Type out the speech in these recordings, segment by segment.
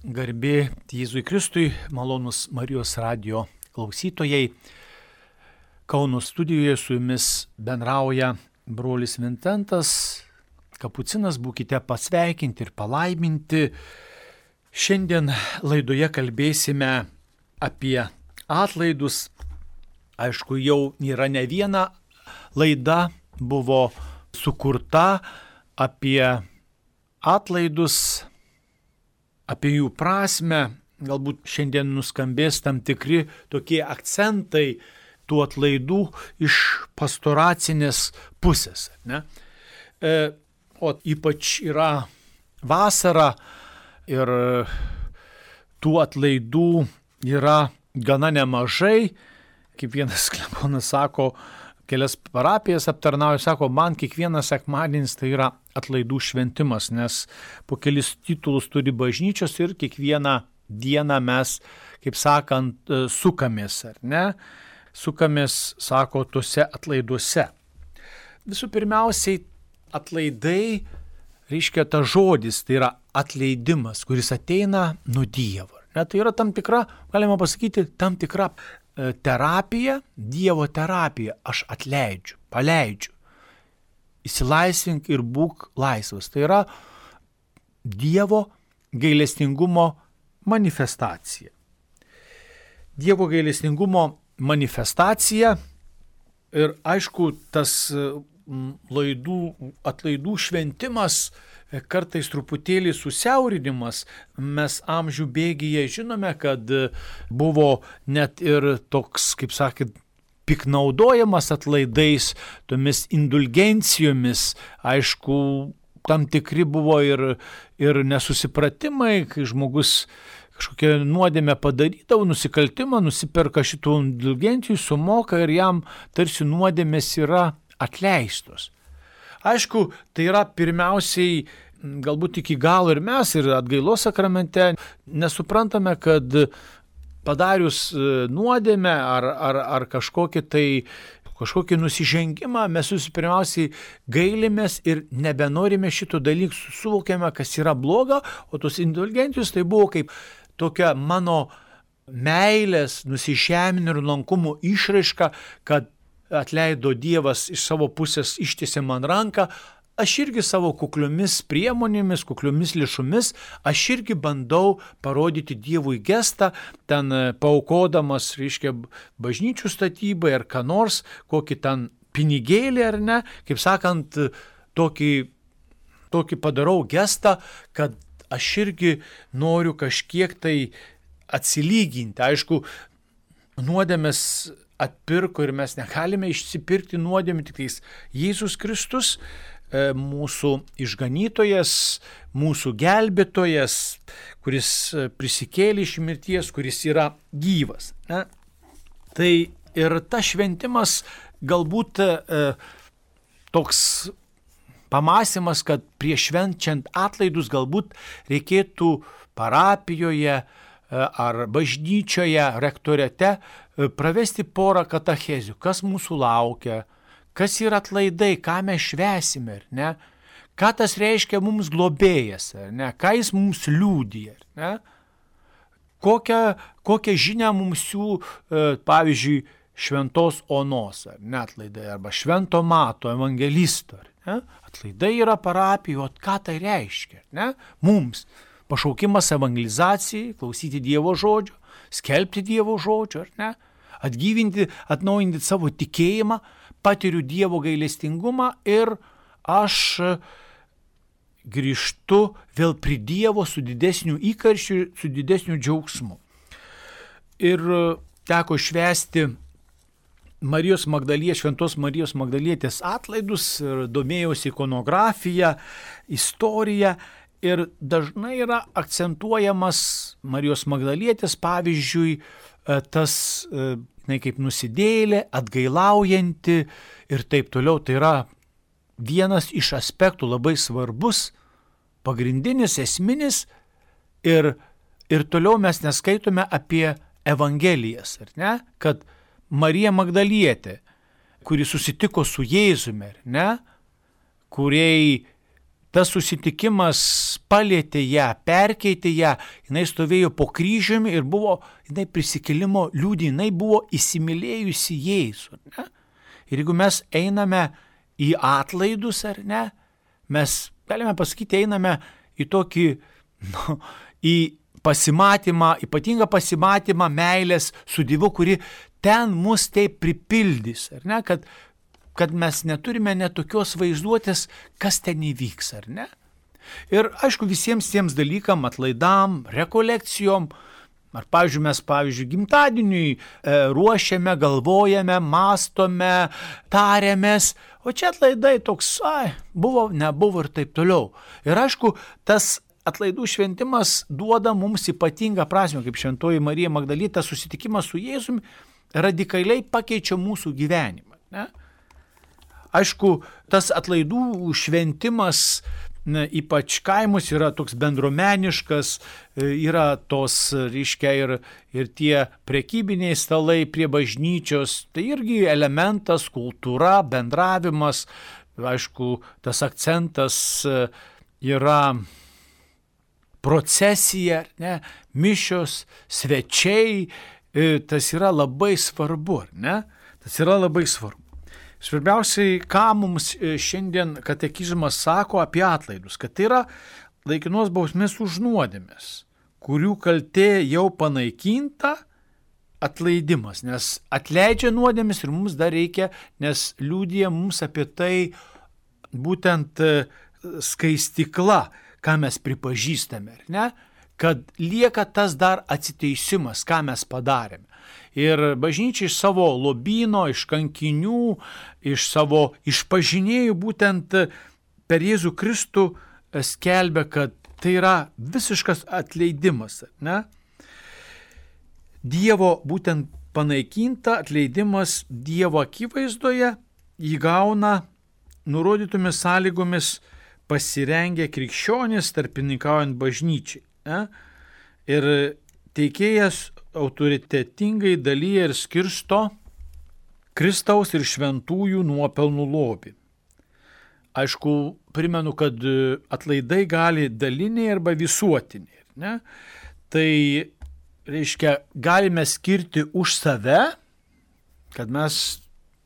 Garbė Jėzui Kristui, malonus Marijos radijo klausytojai. Kauno studijoje su jumis bendrauja brolis Vincentas, kapucinas, būkite pasveikinti ir palaiminti. Šiandien laidoje kalbėsime apie atlaidus. Aišku, jau yra ne viena laida buvo sukurta apie atlaidus, apie jų prasme. Galbūt šiandien nuskambės tam tikri tokie akcentai tų atlaidų iš pastoracinės pusės. Ne? O ypač yra vasara ir tų atlaidų yra gana nemažai. Kaip vienas klebonas sako, kelias parapijas aptarnauja, sako, man kiekvienas sekmadienis tai yra atlaidų šventimas, nes po kelis titulus turi bažnyčios ir kiekvieną dieną mes, kaip sakant, sukamės, ar ne? Sukamės, sako, tuose atlaiduose. Visų pirmiausiai, atlaidai reiškia tas žodis, tai yra atleidimas, kuris ateina nuo Dievo. Ne? Tai yra tam tikra, galima pasakyti, tam tikra terapija, Dievo terapija. Aš atleidžiu, paleidžiu. Įsilaisvink ir būk laisvas. Tai yra Dievo gailestingumo manifestacija. Dievo gailestingumo manifestacija ir aišku, tas atlaidų šventimas, kartais truputėlį susiaurinimas. Mes amžių bėgyje žinome, kad buvo net ir toks, kaip sakėt, piknaudojamas atlaidais, tomis indulgencijomis. Aišku, tam tikri buvo ir nesusipratimai, kai žmogus kažkokią nuodėmę padarydavo, nusikaltimą, nusiperka šitų indulgencijų, sumoka ir jam tarsi nuodėmės yra atleistos. Aišku, tai yra pirmiausiai, galbūt iki galo ir mes, ir atgailos sakramente nesuprantame, kad padarius nuodėmę ar kažkokį nusižengimą, mes pirmiausiai gailimės ir nebenorime šito dalykų, suvokiame, kas yra bloga, o tos indulgencijos tai buvo kaip tokia mano meilės, nusižeminimo ir nuolankumo išraiška, kad atleido Dievas iš savo pusės, ištiesė man ranką, aš irgi savo kukliomis priemonėmis, kukliomis lėšomis, aš irgi bandau parodyti Dievui gestą, ten paaukodamas, reiškia, bažnyčių statybai ar ką nors, kokį ten pinigėlį ar ne, kaip sakant, tokį padarau gestą, kad aš irgi noriu kažkiek tai atsilyginti. Aišku, nuodėmės atpirko ir mes negalime išsipirkti nuodėmę, tik tais Jėzus Kristus, mūsų išganytojas, mūsų gelbėtojas, kuris prisikėlė iš mirties, kuris yra gyvas. Ne? Tai ir tas šventimas galbūt toks pamąstymas, kad prieš švenčiant atlaidus galbūt reikėtų parapijoje ar bažnyčioje, rektorete pravesti porą katechezių, kas mūsų laukia, kas yra atlaidai, ką mes švęsime, ar ne? Ką tas reiškia mums globėjas, ar ne? Ką jis mums liudija, ar ne? Kokią žinią mums pavyzdžiui, šventos onos, ar ne atlaidai, arba švento Mato evangelisto, ar ne? Atlaidai yra parapijo, ką tai reiškia, ar ne? Mums pašaukimas evangelizacijai, klausyti Dievo žodžio, skelbti Dievo žodžio, ar ne? Atgyvinti, atnaujinti savo tikėjimą, patiriu Dievo gailestingumą ir aš grįžtu vėl prie Dievo su didesniu įkarščiu, su didesniu džiaugsmu. Ir teko švęsti Šventos Marijos Magdalietės atlaidus ir domėjausi ikonografiją, istoriją. Ir dažnai yra akcentuojamas Marijos Magdalietės, pavyzdžiui, tas, kaip nusidėjėlė, atgailaujanti ir taip toliau. Tai yra vienas iš aspektų labai svarbus, pagrindinis, esminis ir toliau mes neskaitome apie evangelijas, ar ne? Kad Marija Magdalietė, kuri susitiko su Jėzumi, ar ne? Kuriai tas susitikimas palėtė ją, perkeitė ją, jinai stovėjo po kryžiumi ir buvo, jinai prisikėlimo liudija, jinai buvo įsimylėjusi Jėzų. Ne? Ir jeigu mes einame į atlaidus, ar ne, mes, galime pasakyti, einame į tokį, į pasimatymą, ypatingą pasimatymą meilės su Dievu, kuri ten mus taip pripildys, ar ne, kad mes neturime net tokios vaizduotės, kas ten įvyks, ar ne. Ir aišku, visiems tiems dalykam, atlaidam, rekolekcijom, ar mes, gimtadieniui ruošiame, galvojame, mąstome, tariamės, o čia atlaidai toks, buvo, nebuvo ir taip toliau. Ir aišku, tas atlaidų šventimas duoda mums ypatingą prasmę, kaip šventoji Marija Magdalita, susitikimas su Jėzumi radikaliai pakeičia mūsų gyvenimą. Ne? Aišku, tas atlaidų šventimas, ypač kaimus, yra toks bendruomeniškas, yra tos, reiškia, ir tie prekybiniai stalai prie bažnyčios, tai irgi elementas, kultūra, bendravimas, aišku, tas akcentas yra procesija, ne, mišios, svečiai, tas yra labai svarbu, ne? Tas yra labai svarbu. Svarbiausiai, ką mums šiandien katekizmas sako apie atlaidus, kad tai yra laikinos bausmės už nuodėmes, kurių kaltė jau panaikinta, atleidimas, nes atleidžia nuodėmes ir mums dar reikia, nes liudija mums apie tai būtent skaistikla, ką mes pripažįstame, ne? Kad lieka tas dar atsiteisimas, ką mes padarėme. Ir bažnyčia iš savo lobyno, iš kankinių, iš savo išpažinėjų būtent per Jėzų Kristų skelbia, kad tai yra visiškas atleidimas. Ne? Dievo būtent panaikinta atleidimas Dievo akivaizdoje įgauna nurodytomis sąlygomis pasirengę krikščionys tarpininkaujant bažnyčiai. Ne? Ir teikėjas autoritetingai dalyja ir skirsto Kristaus ir šventųjų nuopelnų lobį. Aišku, primenu, kad atlaidai gali daliniai arba visuotiniai. Ne? Tai reiškia, galime skirti už save, kad mes,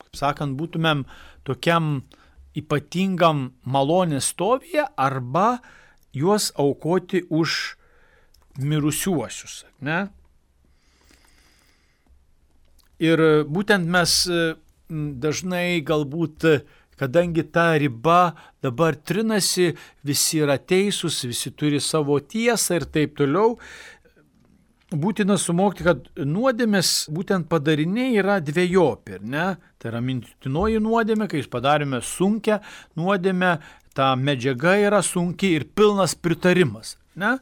kaip sakant, būtumėm tokiam ypatingam malonės stovyje, arba juos aukoti už mirusiuosius. Ne? Ir būtent mes dažnai galbūt, kadangi ta riba dabar trinasi, visi yra teisūs, visi turi savo tiesą ir taip toliau, būtina suvokti, kad nuodėmės būtent padariniai yra dvejopi. Ne? Tai yra mintinoji nuodėmė, kai padarėme sunkią nuodėmę, ta medžiaga yra sunkiai ir pilnas pritarimas. Ne?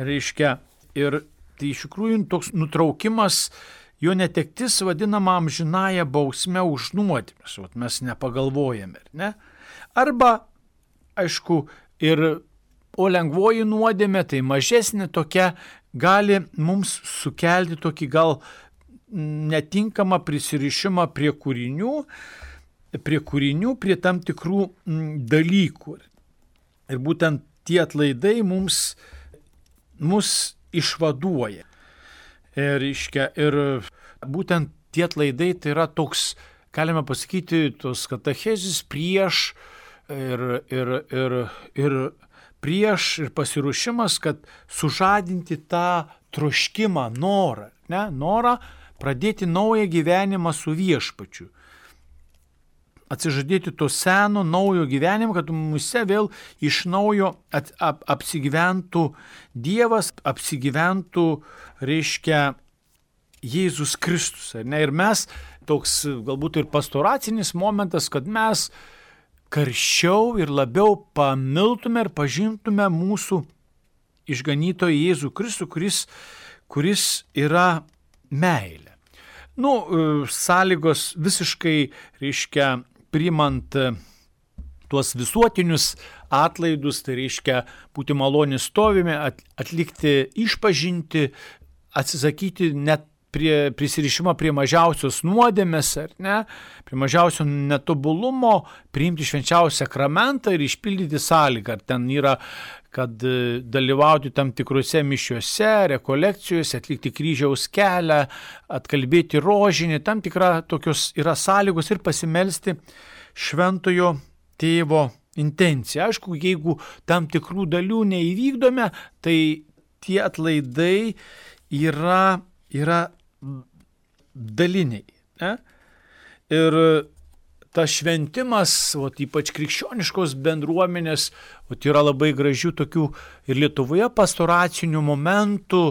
Reiškia, ir tai iš tikrųjų toks nutraukimas, jo netektis vadinama amžinąja bausme už nuodėmes, mes nepagalvojame, ne? Arba, aišku, o lengvoji nuodėmė, tai mažesnė tokia, gali mums sukelti tokį gal netinkamą prisirišimą prie kūrinių, prie tam tikrų dalykų. Ir būtent tie atlaidai mus išvaduoja. Ir būtent tie atlaidai tai yra toks, galime pasakyti, tos katechezis prieš ir pasiruošimas, kad sužadinti tą troškimą, norą, ne? Norą pradėti naują gyvenimą su viešpačiu. Atsižadėti to seno, naujo gyvenimo, kad mumise vėl iš naujo apsigyventų Dievas, apsigyventų, reiškia, Jėzus Kristus. Ne? Ir mes, toks galbūt ir pastoracinis momentas, kad mes karščiau ir labiau pamiltume ir pažintume mūsų išganytoją Jėzų Kristų, kuris yra meilė. Sąlygos visiškai, reiškia, priimant tuos visuotinius atlaidus, tai reiškia būti malonės stovime, atlikti išpažinti, atsisakyti net prisirišimą prie mažiausios nuodėmės, ar ne, prie mažiausio netobulumo, priimti švenčiausią sakramentą ir išpildyti sąlygą. Ar ten yra, kad dalyvauti tam tikrose mišiuose, rekolekcijose, atlikti kryžiaus kelią, atkalbėti rožinį, tam tikra tokios yra sąlygos ir pasimelsti šventojo tėvo intenciją. Aišku, jeigu tam tikrų dalių neįvykdome, tai tie atlaidai yra daliniai. Ne? Ir tas šventimas, ypač krikščioniškos bendruomenės, yra labai gražių tokių ir Lietuvoje pastoracinių momentų,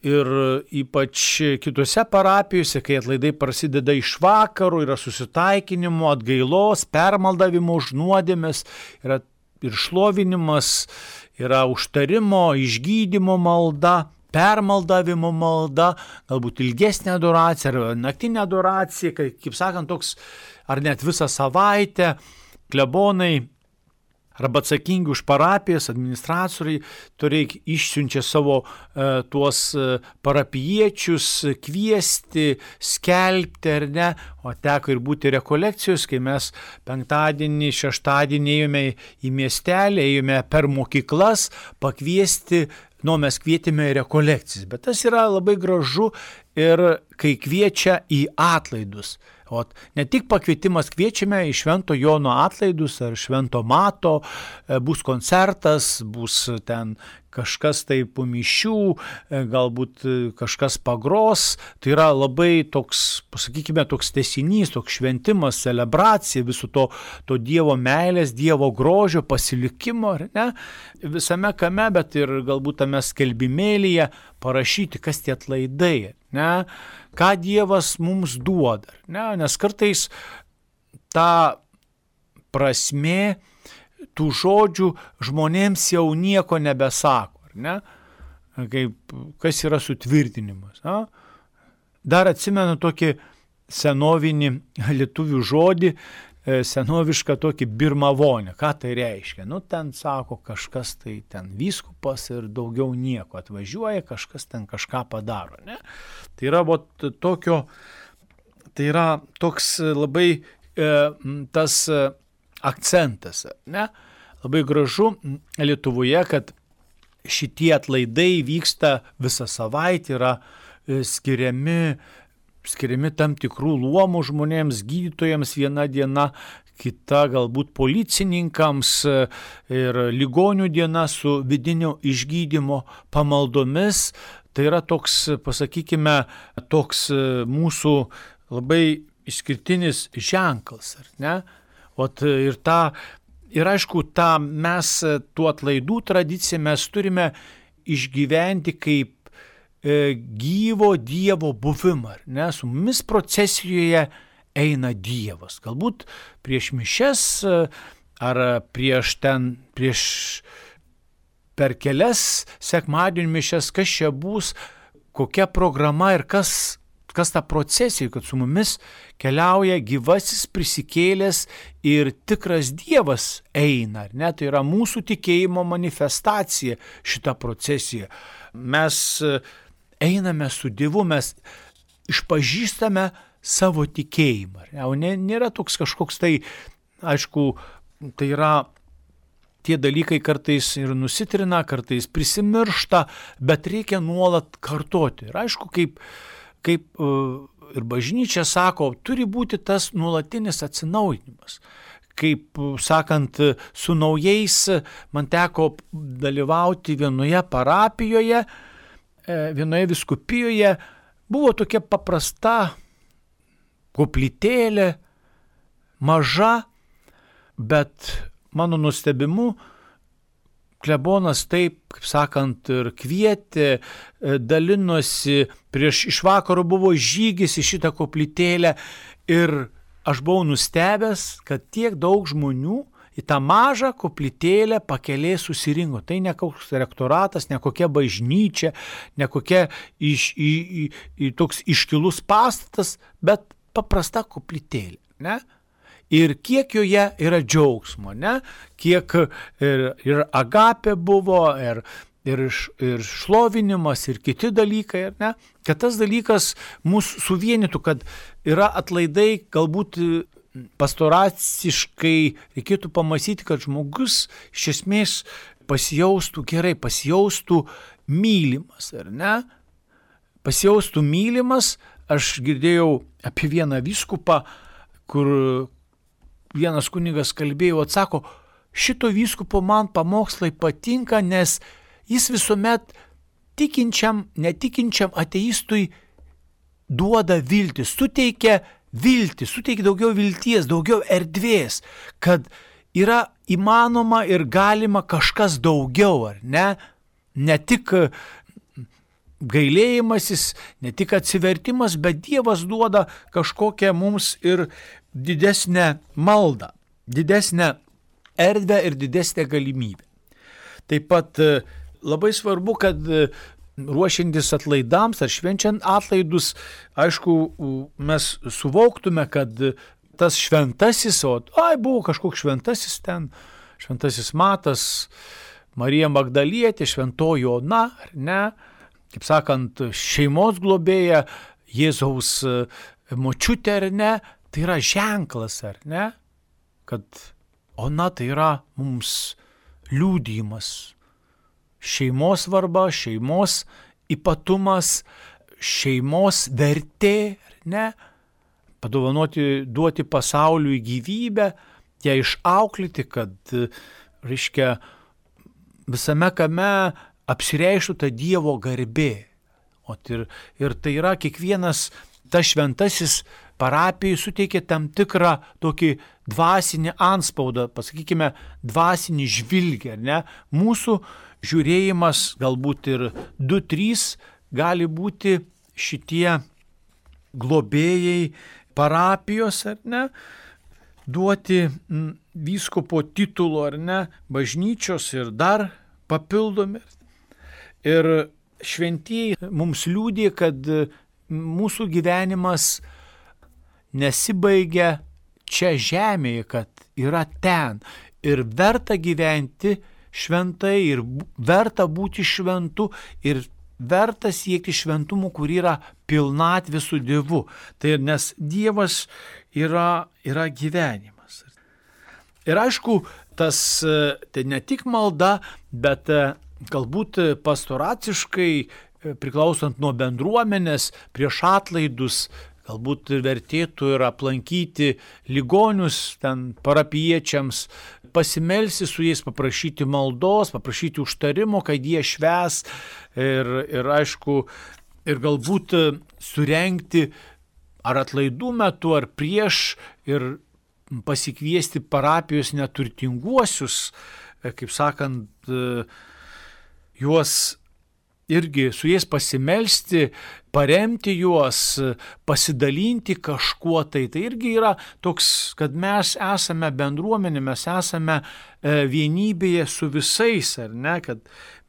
ir ypač kitose parapijose, kai atlaidai prasideda iš vakaro, yra susitaikinimo, atgailos, permaldavimo už nuodėmes, yra ir šlovinimas, yra užtarimo, išgydymo malda, permaldavimo malda, galbūt ilgesnė adoracija ar naktinė adoracija, kaip sakant, toks ar net visą savaitę klebonai arba atsakingi už parapijas, administratoriai, išsiunčia savo tuos parapijiečius kviesti, skelbti ar ne, o teko ir būti rekolekcijos, kai mes penktadienį, šeštadienį ėjome į miestelį, ėjome per mokyklas pakviesti, mes kvietėme į rekolekcijas, bet tas yra labai gražu ir kai kviečia į atlaidus. Ne tik pakvietimas, kviečiame į Švento Jono atlaidus ar Švento Mato, bus koncertas, bus ten kažkas tai po mišių, galbūt kažkas pagros, tai yra labai toks, pasakykime, toks tęsinys, toks šventimas, celebracija viso to Dievo meilės, Dievo grožio, pasilikimo, ne? Visame kame, bet ir galbūt tame skelbimėlyje parašyti, kas tie atlaidai, ne? Ką Dievas mums duoda, ne? Nes kartais ta prasmė tų žodžių žmonėms jau nieko nebesako, ar ne? Kas yra sutvirtinimas. Na? Dar atsimenu tokį senovinį lietuvių žodį, senovišką tokį birmavonę. Ką tai reiškia? Ten sako kažkas, tai ten vyskupas ir daugiau nieko atvažiuoja, kažkas ten kažką padaro. Ne? Tai yra tai yra toks labai tas akcentas. Ne? Labai gražu Lietuvoje, kad šitie atlaidai vyksta visą savaitę, yra skiriami tam tikrų luomų žmonėms, gydytojams viena diena, kita galbūt policininkams ir ligonių diena su vidinio išgydymo pamaldomis. Tai yra toks, pasakykime, toks mūsų labai išskirtinis ženklas, ar ne? Ir aišku, mes tų atlaidų tradiciją mes turime išgyventi kaip gyvo Dievo buvimą, ne? Su mumis procesijoje eina Dievas. Galbūt prieš mišias ar prieš per kelias sekmadienio mišias, kas čia bus, kokia programa ir kas ta procesija, kad su mumis keliauja gyvasis prisikėlęs ir tikras Dievas eina, ar ne? Tai yra mūsų tikėjimo manifestacija šita procesija. Mes einame su Dievu, mes išpažįstame savo tikėjimą. Nėra toks kažkoks tai, aišku, tai yra tie dalykai kartais ir nusitrina, kartais prisimiršta, bet reikia nuolat kartoti. Ir aišku, kaip ir bažnyčia sako, turi būti tas nuolatinis atsinaujinimas. Kaip sakant, su naujais man teko dalyvauti vienoje parapijoje, vienoje vyskupijoje, buvo tokia paprasta koplytėlė, maža, bet mano nustebimu, klebonas taip, kaip sakant, ir kvietė, dalinosi, iš vakaro buvo žygis į šitą koplytėlę ir aš buvau nustebęs, kad tiek daug žmonių į tą mažą koplytėlę pakelė susirinko. Tai ne koks rektoratas, ne kokia bažnyčia, ne kokia toks iškilus pastatas, bet paprasta koplytėlė, ne? Ir kiek joje yra džiaugsmo, ne? Kiek ir agapė buvo, ir ir šlovinimas, ir kiti dalykai, ar ne, kad tas dalykas mus suvienytų, kad yra atlaidai, galbūt pastoraciškai reikėtų pamąstyti, kad žmogus iš esmės pasijaustų gerai, pasijaustų mylimas, ar ne? Pasijaustų mylimas. Aš girdėjau apie vieną vyskupą, kur vienas kunigas kalbėjo, atsako, šito vyskupo man pamokslai patinka, nes jis visuomet tikinčiam, netikinčiam ateistui duoda viltį, suteikia viltį, suteikia daugiau vilties, daugiau erdvės, kad yra įmanoma ir galima kažkas daugiau, ar ne? Ne tik gailėjimasis, ne tik atsivertimas, bet Dievas duoda kažkokią mums ir didesnę maldą, didesnę erdvę ir didesnę galimybę. Taip pat labai svarbu, kad ruošiantis atlaidams ar švenčiant atlaidus, aišku, mes suvoktume, kad tas šventasis, buvo kažkoks šventasis ten, šventasis Matas, Marija Magdalietė, šventoji Ona, ar ne, kaip sakant, šeimos globėja, Jėzaus močiutė, ar ne, tai yra ženklas, ar ne, kad Ona tai yra mums liudijimas, šeimos svarba, šeimos ypatumas, šeimos vertė, ar ne, duoti pasauliui gyvybę, ją išauklėti, kad, reiškia, visame kame apsireištų ta Dievo garbė. Ir tai yra kiekvienas tas šventasis parapijai suteikia tam tikrą tokį dvasinį anspaudą, pasakykime, dvasinį žvilgį, ar ne? Mūsų žiūrėjimas, galbūt ir 2-3 gali būti šitie globėjai parapijos, ar ne? Duoti vyskupo titulo, ar ne? Bažnyčios ir dar papildomi. Ir šventieji mums liudija, kad mūsų gyvenimas nesibaigia čia žemėje, kad yra ten. Ir verta gyventi šventai, ir verta būti šventu, ir verta siekti šventumų, kur yra pilnatvė su Dievu. Tai nes Dievas yra gyvenimas. Ir aišku, tas tai ne tik malda, bet galbūt pastoraciškai priklausant nuo bendruomenės prieš atlaidus, galbūt vertėtų ir aplankyti ligonius ten parapiečiams, pasimelsti su jais, paprašyti maldos, paprašyti užtarimo, kad jie švęs ir aišku, ir galbūt surengti ar atlaidų metu, ar prieš ir pasikviesti parapijos neturtinguosius, kaip sakant, juos irgi su jais pasimelsti, paremti juos, pasidalinti kažkuo tai. Tai irgi yra toks, kad mes esame bendruomenė, mes esame vienybėje su visais, ar ne, kad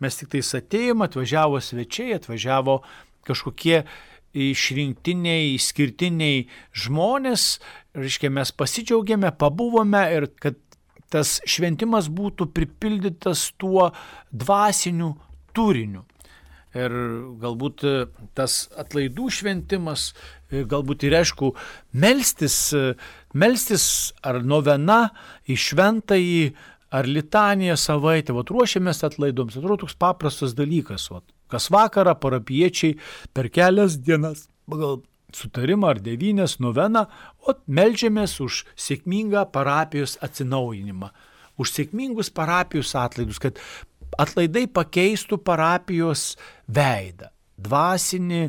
mes tik tais atėjom, atvažiavo svečiai, atvažiavo kažkokie išrinktiniai, išskirtiniai žmonės, reiškia, mes pasidžiaugėme, pabuvome ir kad tas šventimas būtų pripildytas tuo dvasiniu turiniu. Ir galbūt tas atlaidų šventimas, galbūt ir aišku, melstis ar novena į šventąjį, ar litaniją savaitę. Ruošiamės atlaidoms, atrodo toks paprastas dalykas. Kas vakarą parapiečiai per kelias dienas, pagal sutarimą ar 9 noveną, meldžiamės už sėkmingą parapijos atsinaujinimą, už sėkmingus parapijos atlaidus, kad atlaidai pakeistų parapijos veidą, dvasinį,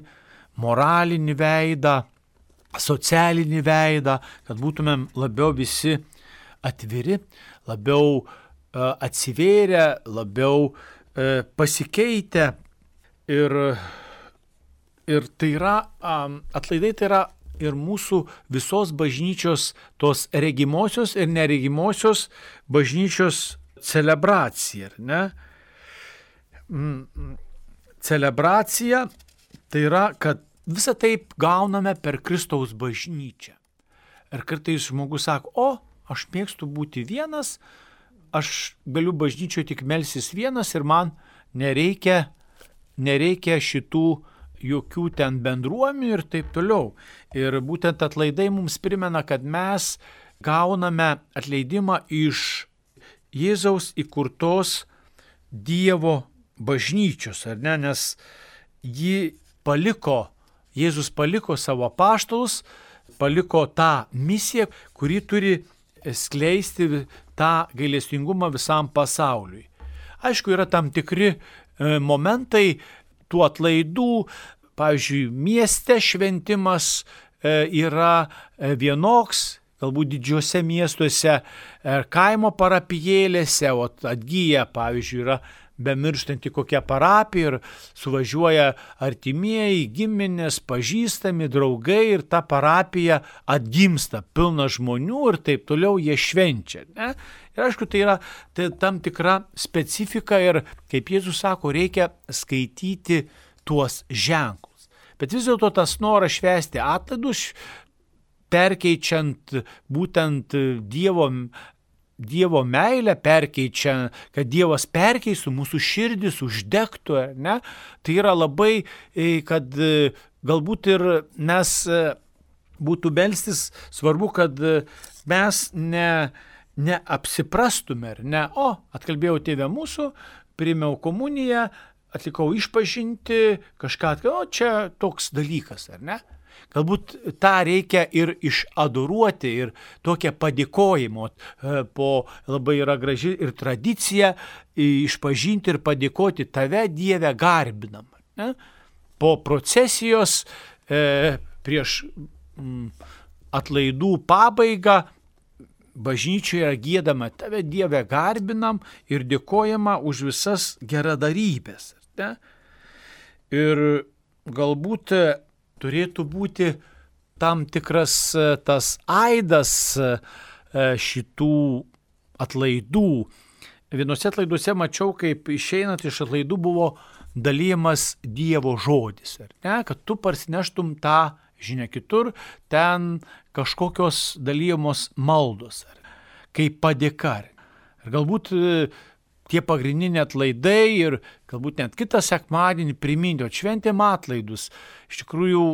moralinį veidą, socialinį veidą, kad būtumėm labiau visi atviri, labiau atsivėrę, labiau pasikeitę. Ir tai yra, atlaidai tai yra ir mūsų visos bažnyčios, tos regimosios ir neregimosios bažnyčios celebracija, ar ne? Celebracija tai yra, kad visą taip gauname per Kristaus bažnyčią. Ir kartais žmogus sako, aš mėgstu būti vienas, aš galiu bažnyčioje tik melsis vienas ir man nereikia šitų jokių ten bendruomenių ir taip toliau. Ir būtent atlaidai mums primena, kad mes gauname atleidimą iš Jėzaus įkurtos Dievo bažnyčios, ar ne? Nes Jėzus paliko savo apaštalus, paliko tą misiją, kuri turi skleisti tą gailestingumą visam pasauliui. Aišku, yra tam tikri momentai tų atlaidų, pavyzdžiui, mieste šventimas yra vienoks, galbūt didžiuose miestuose ar kaimo parapijėlėse, o atgyja, pavyzdžiui, yra bemirštanti kokia parapija ir suvažiuoja artimieji, giminės, pažįstami, draugai ir ta parapija atgimsta, pilna žmonių ir taip toliau jie švenčia. Ne? Ir aišku, tai yra tam tikra specifika ir, kaip Jėzus sako, reikia skaityti tuos ženklus. Bet vis dėlto tas noras švęsti atlaidus, perkeičiant būtent Dievo meilę, perkeičia, kad Dievas perkeistų mūsų širdis, uždegtų, ne? Tai yra labai, kad galbūt ir mes būtų melstis, svarbu, kad mes neapsiprastume, ne, atkalbėjau tėvę mūsų, priėmiau komuniją, atlikau išpažinti, kažką, čia toks dalykas, ar ne? Galbūt tą reikia ir išadoruoti ir tokią padėkojimo, po labai yra graži ir tradicija išpažinti ir padėkoti tave, Dieve, garbinam. Ne? Po procesijos prieš atlaidų pabaigą bažnyčioje giedama tave, Dieve, garbinam ir dėkojama už visas geradarybės. Ne? Ir galbūt turėtų būti tam tikras tas aidas šitų atlaidų. Vienose atlaiduose mačiau, kaip išeinant iš atlaidų buvo dalyjamas Dievo žodis. Ne? Kad tu parsineštum tą žinią kitur, ten kažkokios dalyjamos maldos, kaip padėka. Ir galbūt tie pagrindiniai atlaidai ir galbūt net kitą sekmadienį priminti, šventėm atlaidus. Iš tikrųjų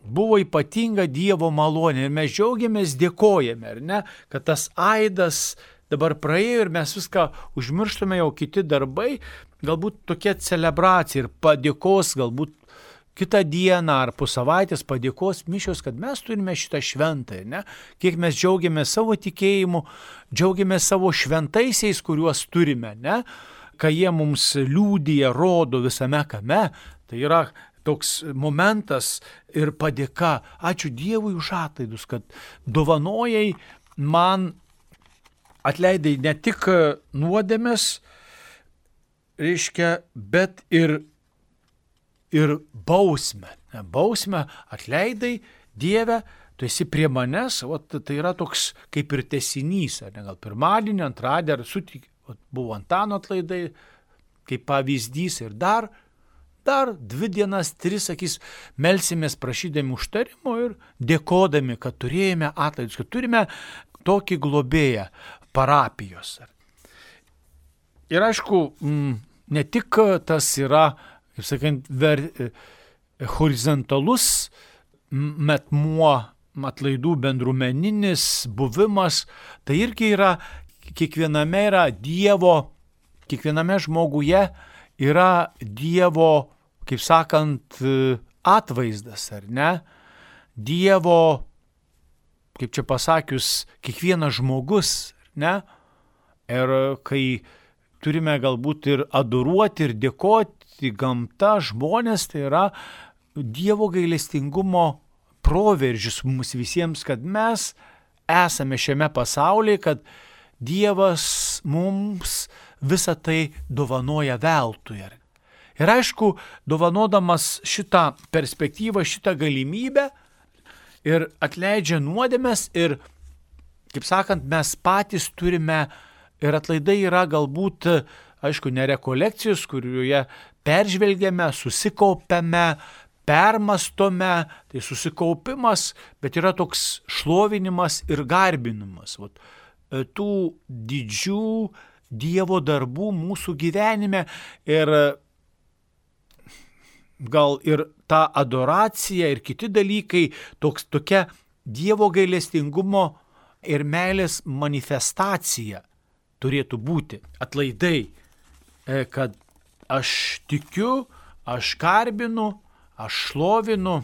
buvo ypatinga Dievo malonė ir mes džiaugiamės, dėkojame, ar ne, kad tas aidas dabar praėjo ir mes viską užmirštame, jau kiti darbai, galbūt tokia celebracija ir padėkos, galbūt kitą dieną ar po savaitės padėkos mišios, kad mes turime šitą šventą, ne? Kiek mes džiaugiamės savo tikėjimu, džiaugiamės savo šventaisiais, kuriuos turime, ne? Ką jie mums liudija, rodo visame kame, tai yra toks momentas ir padėka. Ačiū Dievui už atlaidus, kad dovanojai man atleidai ne tik nuodėmes, reiškia, bet ir bausmę. Bausmę atleidai, Dieve, tu esi prie manęs, tai yra toks kaip ir tęsinys, ne, gal pirmadienį, antradienį, buvo Antano atlaidai, kaip pavyzdys ir dar 2 dienas, 3, sakys, melsimės prašydami užtarimo ir dėkodami, kad turėjome atlaidus, kad turime tokį globėją parapijos. Ir aišku, ne tik tas yra, kaip sakant, horizontalus metmuo, atlaidų bendruomeninis buvimas, tai irgi yra, kiekviename žmoguje yra Dievo, kaip sakant, atvaizdas, ar ne? Dievo, kaip čia pasakius, kiekvienas žmogus, ar ne? Ir kai turime galbūt ir adoruoti, ir dėkoti gamta, žmonės, tai yra Dievo gailestingumo proveržis mums visiems, kad mes esame šiame pasaulyje, kad Dievas mums visą tai dovanoja veltui. Ir aišku, dovanodamas šitą perspektyvą, šitą galimybę ir atleidžia nuodėmes ir, kaip sakant, mes patys turime ir atlaidai yra galbūt, aišku, ne rekolekcijos, kurioje peržvelgiame, susikaupiame, permastome, tai susikaupimas, bet yra toks šlovinimas ir garbinimas. Tų didžių Dievo darbų mūsų gyvenime ir gal ir ta adoracija ir kiti dalykai, tokia Dievo gailestingumo ir meilės manifestacija turėtų būti. Atlaidai, kad aš tikiu, aš garbinu, aš šlovinu,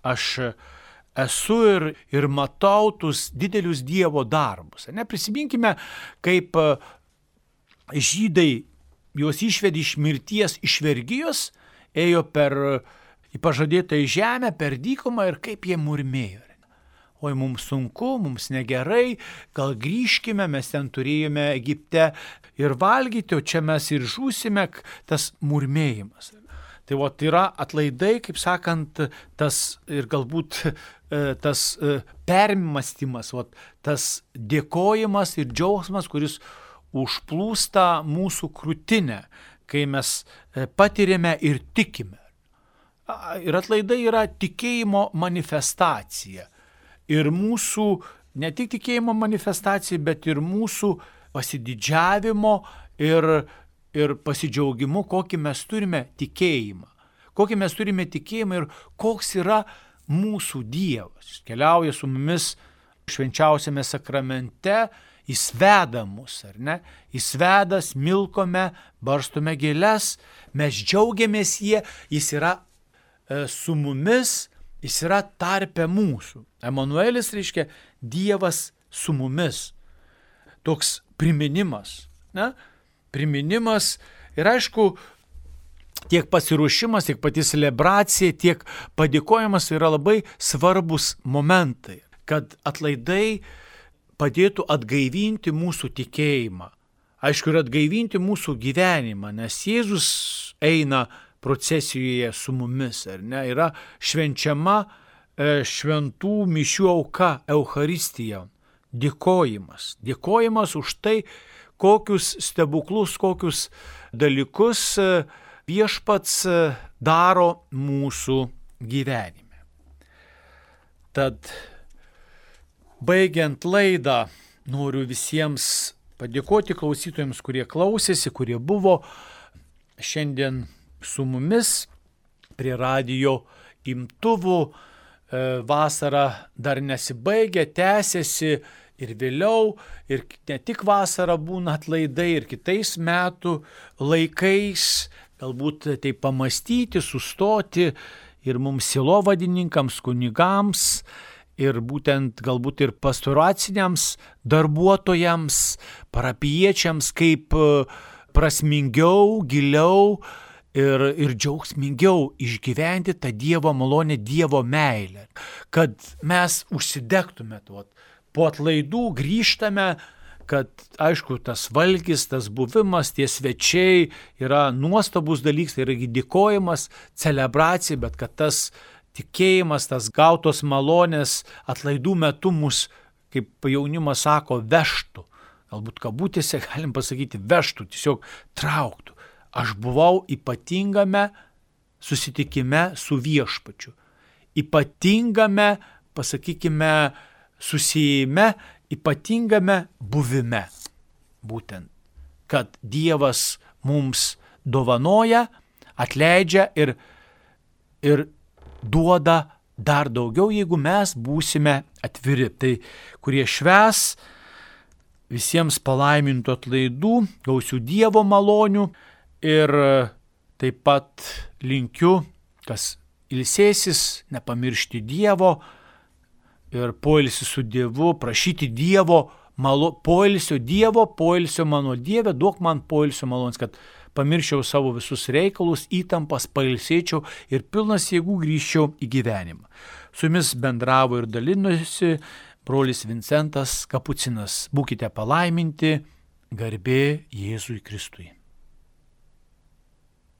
aš esu ir matau tuos didelius Dievo darbus. Prisiminkime, kaip žydai juos išvedė iš mirties, iš vergijos, ėjo į pažadėtą žemę, per dykumą ir kaip jie murmėjo. Oi, mums sunku, mums negerai, gal grįžkime, mes ten turėjome Egipte ir valgyti, o čia mes ir žūsime, tas murmėjimas. Tai yra atlaidai, kaip sakant, tas ir galbūt tas permastymas, tas dėkojimas ir džiaugsmas, kuris užplūsta mūsų krūtinę, kai mes patiriame ir tikime. Ir atlaidai yra tikėjimo manifestacija. Ir mūsų, ne tik tikėjimo manifestacija, bet ir mūsų pasididžiavimo ir pasidžiaugimu, kokį mes turime tikėjimą. Kokį mes turime tikėjimą ir koks yra mūsų Dievas. Jis keliauja su mumis švenčiausiame sakramente, jis veda mus, ar ne? Jis veda, smilkome, barstome gėles, mes džiaugiamės jis yra su mumis, jis yra tarpe mūsų. Emanuelis reiškia Dievas su mumis. Toks priminimas. Ne? Priminimas ir aišku, tiek pasiruošimas, tiek pati celebracija, tiek padėkojimas yra labai svarbus momentai, kad atlaidai padėtų atgaivinti mūsų tikėjimą. Aišku, ir atgaivinti mūsų gyvenimą, nes Jėzus eina procesijoje su mumis, ar ne, yra švenčiama šventų mišių auka, Eucharistija, dėkojimas už tai, kokius stebuklus, kokius dalykus viešpats daro mūsų gyvenime. Tad, baigiant laidą, noriu visiems padėkoti klausytojams, kurie klausėsi, kurie buvo šiandien su mumis prie radijo imtuvų. Vasara dar nesibaigia, tęsiasi ir vėliau, ir ne tik vasara būna atlaidai, ir kitais metų laikais, galbūt tai pamastyti, sustoti ir mums sielovadininkams, kunigams, ir būtent galbūt ir pastoraciniams darbuotojams, parapijiečiams, kaip prasmingiau, giliau ir džiaugsmingiau išgyventi tą Dievo malonę, Dievo meilę, kad mes užsidegtume tuo. Po atlaidų grįžtame, kad, aišku, tas valgis, tas buvimas, tie svečiai yra nuostabus dalykas, tai yra dėkojimas, celebracija, bet kad tas tikėjimas, tas gautos malonės atlaidų metu mus, kaip jaunimas sako, vežtų. Galbūt kabutėse galim pasakyti vežtų, tiesiog trauktų. Aš buvau ypatingame susitikime su viešpačiu. Ypatingame, pasakykime, susijime, ypatingame buvime. Būtent, kad Dievas mums dovanoja, atleidžia ir duoda dar daugiau, jeigu mes būsime atviri. Tai, kurie švęs, visiems palaimintų atlaidų, gausių Dievo malonių ir taip pat linkiu, kas ilsėsis, nepamiršti Dievo ir poilsį su Dievu, prašyti Dievo poilsio mano Dieve, duok man poilsio malonės, kad pamirščiau savo visus reikalus, įtampas, pailsėčiau ir pilnas jėgų grįžčiau į gyvenimą. Su jumis bendravo ir dalinosi brolis Vincentas Kapucinas. Būkite palaiminti, garbė Jėzui Kristui.